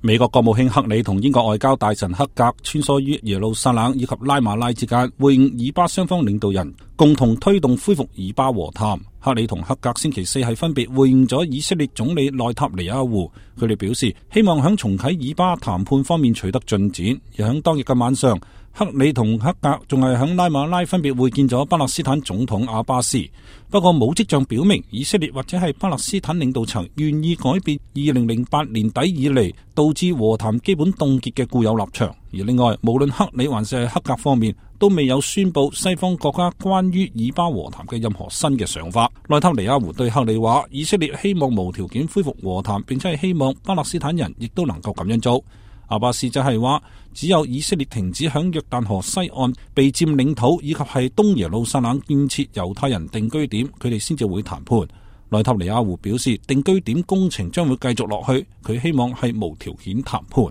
美國國務卿克里同英國外交大臣克格穿梭於耶路撒冷以及拉馬拉之間，會晤以巴雙方領導人，共同推動恢復以巴和談。克里同克格星期四係分別會晤咗以色列總理內塔尼亞胡，佢哋表示希望喺重啟以巴談判方面取得進展。而喺當日嘅晚上，克里同克格仲係喺拉馬拉分別會見咗巴勒斯坦總統阿巴斯，不過冇跡象表明以色列或者係巴勒斯坦領導層願意改變2008年底以嚟導致和談基本凍結嘅固有立場。而另外，無論克里還是克格方面都未有宣布西方國家關於以巴和談嘅任何新嘅想法。內塔尼亞胡對克里話，以色列希望無條件恢復和談，並且係希望巴勒斯坦人亦都能夠咁樣做。阿巴斯就係話，只有以色列停止響約旦河西岸被佔領土以及係東耶路撒冷建設猶太人定居點，佢哋先至會談判。內塔尼亞胡表示，定居點工程將會繼續落去，佢希望係無條件談判。